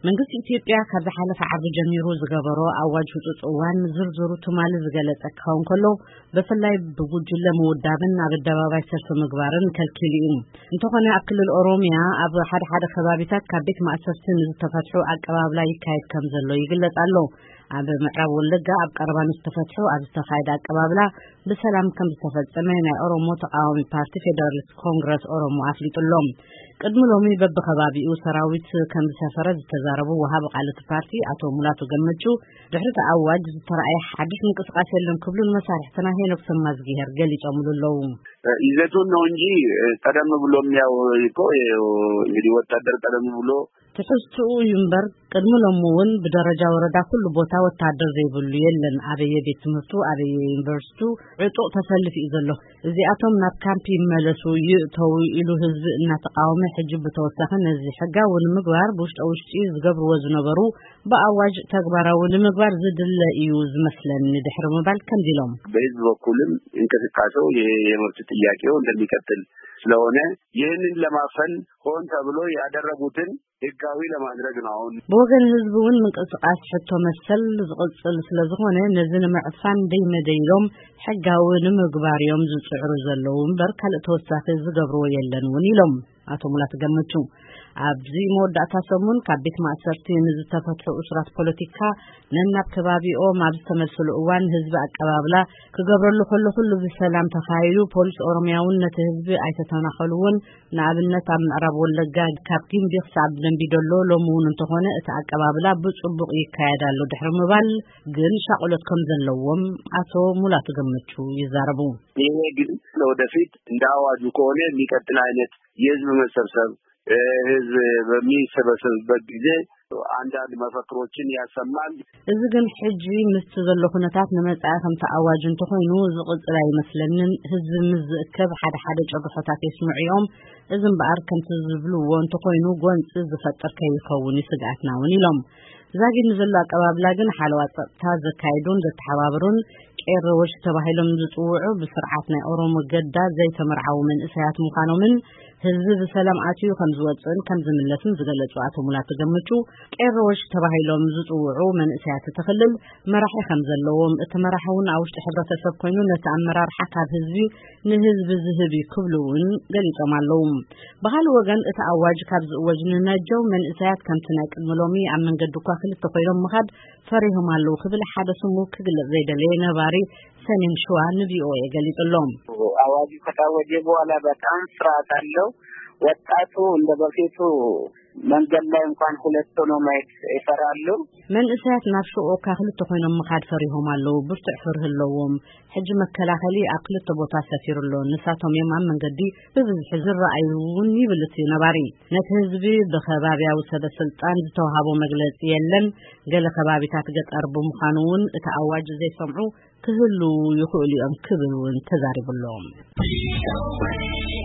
መንግስቲ ኢትዮጵያ ካብ ዝሓለፈ ዓርቢ ጀሚሩ ዝገበሮ ኣዋጅ ህጹጽ እዋን ዝርዝሩ ትማሊ ዝገለጸ ክኸውን ከሎ፣ ብፍላይ ብጉጅለ ምውዳብን ኣብ ኣደባባይ ሰልፊ ምግባርን ከልኪሉ እዩ። እንተኾነ ኣብ ክልል ኦሮሚያ ኣብ ሓደ ሓደ ከባቢታት ካብ ቤት ማእሰርቲ ንዝተፈትሑ ኣቀባብላ ይካየድ ከም ዘሎ ይግለጽ ኣሎ። ኣብ ምዕራብ ወለጋ ኣብ ቀረባ ንዝተፈትሑ ኣብ ዝተኻየደ ኣቀባብላ ብሰላም ከም ዝተፈጸመ ናይ ኦሮሞ ተቃዋሚ ፓርቲ ፌደራሊስት ኮንግረስ ኦሮሞ ኣፍሊጡ ኣሎ። ቅድሚ ሎሚ በብኸባቢኡ ሰራዊት ከም ዝሰፈረ ዝተዛረቡ ወሃቢ ቃል እቲ ፓርቲ ኣቶ ሙላቱ ገመቹ፣ ድሕሪ እቲ ኣዋጅ ዝተረኣየ ሓድሽ ምንቅስቃስ የለን ክብሉ ንመሳርሕትና ሄኖክ ሰማዝጊሄር ገሊጾምሉ ኣለዉ። ይዘቱን ነው እንጂ ቀደም ብሎም ያው እኮ እንግዲህ ወታደር ቀደም ብሎ ትሕዝትኡ እዩ እምበር፣ ቅድሚ ሎሚ እውን ብደረጃ ወረዳ ኩሉ ቦታ ወታደር ዘይብሉ የለን። ኣበየ ቤት ትምህርቱ፣ ኣበየ ዩኒቨርሲቱ ዕጡቕ ተሰልፍ እዩ ዘሎ። እዚኣቶም ናብ ካምፕ ይመለሱ፣ ይእተዉ ኢሉ ህዝቢ እናተቃወመ፣ ሕጂ ብተወሳኺ ነዚ ሕጋዊ ንምግባር ብውሽጠ ውሽጢ ዝገብርዎ ዝነበሩ ብኣዋጅ ተግባራዊ ንምግባር ዝድለ እዩ ዝመስለኒ ድሕሪ ምባል ከምዚ ኢሎም። በህዝብ በኩልም እንቅስቃሴው ይሄ የመብት ጥያቄው እንደሚቀጥል ስለሆነ ይህንን ለማፈን ሆን ተብሎ ያደረጉትን ህጋዊ ለማድረግ ነው። አሁን ብወገን ህዝቢ እውን ምንቅስቃስ ሕቶ መሰል ዝቕጽል ስለ ዝኾነ ነዚ ንምዕፋን ደይመደይ ኢሎም ሕጋዊ ንምግባር እዮም ዝጽዕሩ ዘለዉ እምበር ካልእ ተወሳኺ ዝገብርዎ የለን እውን ኢሎም ኣቶ ሙላት ገመቹ። ኣብዚ መወዳእታ ሰሙን ካብ ቤት ማእሰርቲ ንዝተፈትሑ እሱራት ፖለቲካ ነናብ ከባቢኦም ኣብ ዝተመልስሉ እዋን ህዝቢ ኣቀባብላ ክገብረሉ ከሎ ኩሉ ብሰላም ተኻይዱ። ፖሊስ ኦሮሚያ እውን ነቲ ህዝቢ ኣይተተናኸልዎን። ንኣብነት ኣብ ምዕራብ ወለጋ ካብ ጊምቢ ክሳብ ደንቢ ዶሎ ሎሚ እውን እንተኾነ እቲ ኣቀባብላ ብጽቡቕ ይካየድ ኣሎ ድሕሪ ምባል ግን ሻቕሎት ከም ዘለዎም ኣቶ ሙላቱ ገመቹ ይዛረቡ። ይሄ ግን ለወደፊት እንደ አዋጁ ከሆነ የሚቀጥል አይነት የህዝብ መሰብሰብ፣ እ፣ ህዝብ በሚሰበሰብበት ጊዜ አንዳንድ መፈክሮችን ያሰማል። እዚ ግን ሕጂ ምስቲ ዘሎ ኩነታት ንመጻኢ ከምቲ ኣዋጅ እንተኾይኑ ዝቕጽል ኣይመስለንን። ህዝቢ ምስ ዝእከብ ሓደ ሓደ ጨርሖታት የስምዑ እዮም። እዚ እምበኣር ከምቲ ዝብልዎ እንተኾይኑ ጎንጺ ዝፈጥር ከይኸውን እዩ ስግኣትና እውን ኢሎም። ዛጊድ ንዘሎ ኣቀባብላ ግን ሓለዋ ጸጥታ ዘካይዱን ዘተሓባብሩን ቄሮ ወሽ ተባሂሎም ዝጽውዑ ብስርዓት ናይ ኦሮሞ ገዳ ዘይተመርዓዉ መንእሰያት ምዃኖምን ህዝቢ ብሰላም ኣትዩ ከም ዝወጽእን ከም ዝምለስን ዝገለጹ ኣቶ ሙላቱ ገመቹ፣ ቄሮ ወሽ ተባሂሎም ዝጽውዑ መንእሰያት እቲ ክልል መራሒ ከም ዘለዎም፣ እቲ መራሒ እውን ኣብ ውሽጢ ሕብረተሰብ ኮይኑ ነቲ ኣመራርሓ ካብ ህዝቢ ንህዝቢ ዝህብ እዩ ክብሉ እውን ገሊጾም ኣለዉ። ብኻልእ ወገን እቲ ኣዋጅ ካብ ዝእወጅ ንነጀው መንእሰያት ከምቲ ናይ ቅድሚ ሎሚ ኣብ መንገዲ እኳ ክልተ ኮይኖም ምኻድ ፈሪሆም ኣለዉ ክብል ሓደ ስሙ ክግለጽ ዘይደለየ ነባሪ ሰሜን ሸዋ ንቪኦኤ ገሊጹ ኣሎ። አዋጁ ከታወጀ በኋላ በጣም ፍርሃት አለው። ወጣቱ እንደ በፊቱ መንገድ ላይ እንኳን ሁለት ሆኖ ማየት ይፈራሉ። መንእሰያት ናብ ሹቕ እኳ ክልተ ኮይኖም ምኻድ ፈሪሆም ኣለዉ። ብርቱዕ ፍርሂ ኣለዎም። ሕጂ መከላኸሊ ኣብ ክልተ ቦታ ሰፊሩ ኣሎ። ንሳቶም እዮም ኣብ መንገዲ ብብዝሒ ዝረኣዩ እውን ይብል እቲ ነባሪ። ነቲ ህዝቢ ብኸባብያዊ ሰበ ስልጣን ዝተዋሃቦ መግለጺ የለን። ገለ ከባቢታት ገጠር ብምዃኑ እውን እቲ ኣዋጅ ዘይሰምዑ ክህልዉ ይኽእሉ እዮም ክብል እውን ተዛሪቡ ኣሎ።